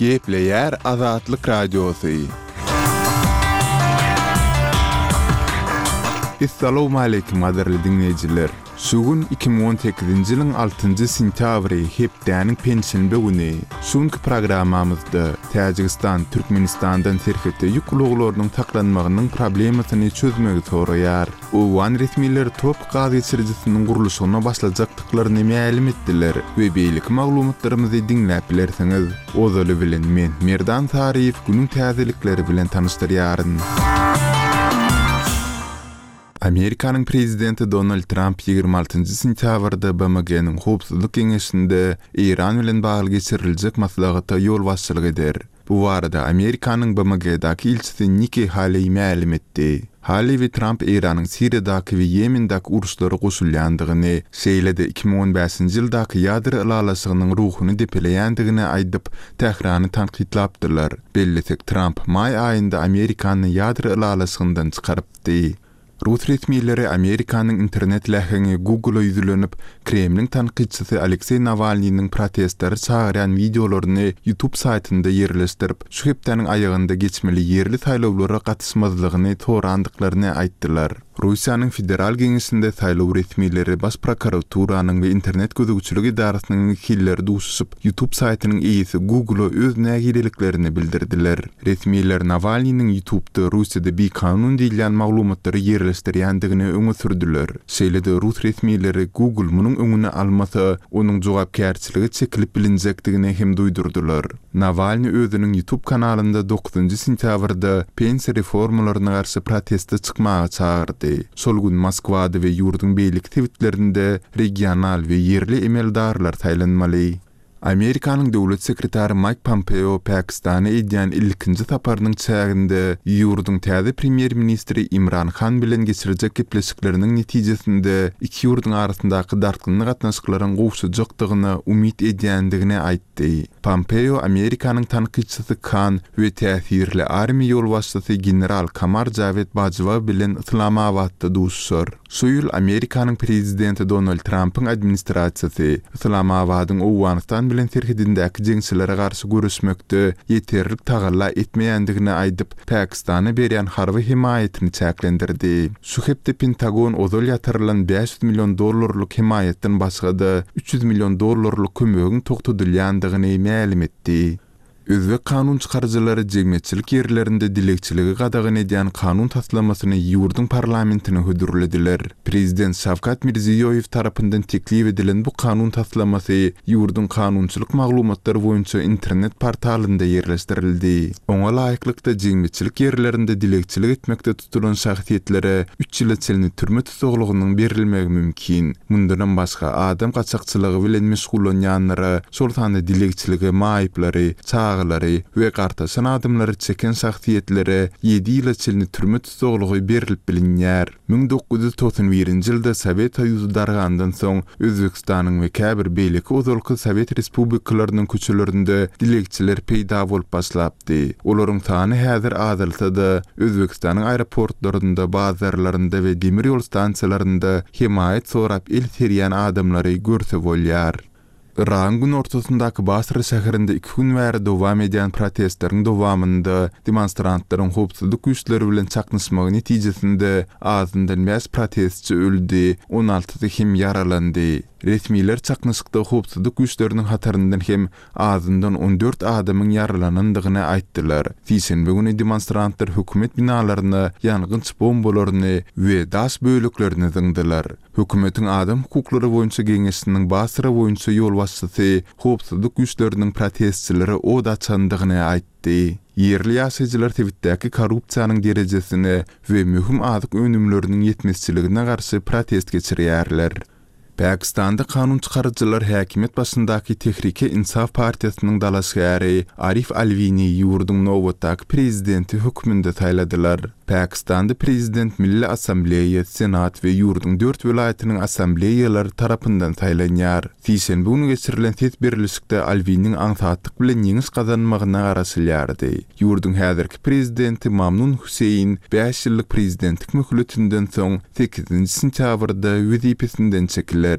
Gepleýär Azatlyk Radiosy. Essalowmaleýkim gadyrly diňleýjiler! Şu gün 2018-nji ýylyň altynjy sentýabry, hepdäniň penşenbe güni. Şu günki programmamyzda Täjigistan Türkmenistandan serhetde ýük ulaglarynyň saklanmagynyň problemasyny çözmegi soraýar. Owgan resmileri tropik gaz geçirijisiniň gurluşygyna başlajakdyklaryny mälim etdiler we beýleki maglumatlarymyzy diňläp bilersiňiz. Ozaly bilen men, Merdan Saryýew günüň täzelikleri bilen tanyşdyrýaryn. Amerikanyň prezidenti Donald Tramp 26 sentýabrda BMG-niň Howpsuzlyk Geňeşinde Eýran bilen bagly geçiriljek maslahata ýolbaşçylyk eder. Bu barada Amerikanyň BMG-daky ilçisi Nikki Haleý mälim etdi. Haleý we Tramp Eýranyň Siriýadaky we Ýemendäki uruşlara goşulýandygyny, şeýle-de 2015-nji ýyldaky ýadro ylalaşygynyň ruhuny depeleýändigini aýdyp, Tährany tankytlapdylar. Bellesek, Tramp maý aýynda Amerikany ýadro ylalaşygyndan çykarypdy. Rus resmileri Amerikanyň internet läheňi Google-a ýüzlenip, Kremliň tankytçysy Alekseý Nawalnynyň protestlere çagyrýan wideolaryny YouTube saýtynda ýerleşdirip, şu hepdäniň aýagynda geçmeli ýerli saýlawlara gatyşmazlygyny sorandyklaryny aýtdylar. Russiýanyň Federal Geňeşinde saýlaw resmileri, Baş prokuraturanyň we internet gözegçilik edarasynyň wekilleri duşuşyp, YouTube saýtynyň eýesi Google-a öz nägileliklerini bildirdiler. Resmiler Nawalnynyň YouTube-da Russiýada bikanun diýilýän maglumatlary ýerleşdirýändigini öňe sürdüler. Şeýle-de rus resmileri Google munuň öňüni almasa, onuň jogapkärçilige çekilip bilinjekdigini hem duýdurdylar. Nawalny özüniň YouTube kanalynda dokuzynjy sentýabrda pensiýa reformalaryna garşy proteste çykmaga çagyrdy. Şol gün Moskwada we ýurduň beýleki sebitlerinde regional we ýerli emeldarlar saýlanmaly. Amerikanyň döwlet sekretary Maýk Pompeo Pakistana edýän ilkinji saparynyň çäginde ýurduň täze premýer-ministri Imran Han bilen geçirjek gepleşikleriniň netijesinde iki ýurduň arasyndaky dartgynly gatnaşyklaryň gowşajakdygyna umyt edýändigini aýtdy. Pompeo Amerikanyň tankytçysy Kan we täsirli armiýa ýolbaşçysy general Kamar Jawed Bajwa bilen Yslamabatda duşuşar. Şu ýyl Amerikanyň prezidenti Donald Trampyň administrasiýasy Yslamabadyň Owganystan bilen serhedindäki jeňçilere garşy göreşmekde ýeterlik tagalla etmeýändigini aýdyp, Pakistana berýän harby hemaýatyny çäklendirdi. Şu hepde Pentagon ozal ýatyrylan 500 million dollarlyk hemaýatdan başga-da, 300 million dollarlyk kömegiň togtadylýandygyny mälim etdi. Özbek kanun çykaryjylary jemgyýetçilik ýerlerinde dilegçiligi gadagan edýän kanun taslamasyny ýurduň parlamentine hödürlediler. Prezident Şawkat Mirziýoýew tarapyndan teklip edilen bu kanun taslamasy ýurduň kanunçylyk maglumatlary boýunça internet portalynda ýerleşdirildi. Oňa laýyklykda, jemgyýetçilik ýerlerinde dilegçilik etmekde tutulan şahsyýetlere üç ýyla çenli türme tussaglygynyň berilmegi mümkin. Mundanam başga, adam gaçakçylygy bilen meşgullanýanlara, şol sanda dilegçilige maýyplary, çagalary we gartaşan adamlary çeken şahsyýetlere ýedi ýyla çenli türme tussaglygy berlip bilinýär. 1991-nji ýylda Sowet Soýuzy dargandan soň, Özbegistanyň we käbir beýleki ozalky sowet respublikalarynyň köçelerinde dilegçiler peýda bolup başlapdy. Olaryň sany häzir azalsa-da, Özbegistanyň aeroportlarynda, bazarlarynda we demir ýol stansiýalarynda hemaýat sorap el serýän adamlary görse bolýar. Yragyň günortasyndaky Basra şäherinde iki gün bäri dowam edýän protestleriň dowamynda demonstrantlaryň howpsuzlyk güýçleri bilen çaknyşmagy netijesinde azyndan bäş protestçi öldi, on altysy hem ýaralandy. Resmiler çaknyşykda howpsuzlyk güýçleriniň hataryndan hem azyndan 14 adamyň ýaralanandygyny aýtdylar. Sişenbe güni demonstrantlar hökümet binalaryna ýangynç bombalaryny we daş böleklerini zyňdylar. Hökümetiň adam hukuklary boýunça geňeşiniň Basra boýunça ýolbaşçysy howpsuzlyk güýçleriniň protestçilere od açandygyny aýtdy. Ýerli ýaşaýjylar sebitdäki korrupsiýanyň derejesine we möhüm azyk önümleriniň ýetmezçiligine garşy protest geçirýärler. Pakistanda kanun çykaryjylar häkimiýet başyndaky Tehrike-Insaf partiýasynyň dalaşgäri Arif Alwini ýurduň nobatdaky prezidenti hökmünde saýladylar. Pakistanda prezident Milli Assambleýa, Senat we ýurduň dört welaýatynyň assambleýalary tarapyndan saýlanýar. Sişenbe güni geçirilen ses berlişikde Alwiniň aňsatlyk bilen ýeňiş gazanmagyna garaşylýardy. Ýurduň häzirki prezidenti Mamnun Hüseýin bäş ýyllyk prezidentlik möhletinden soň sekizinji sentýabrda wezipesinden çekiler.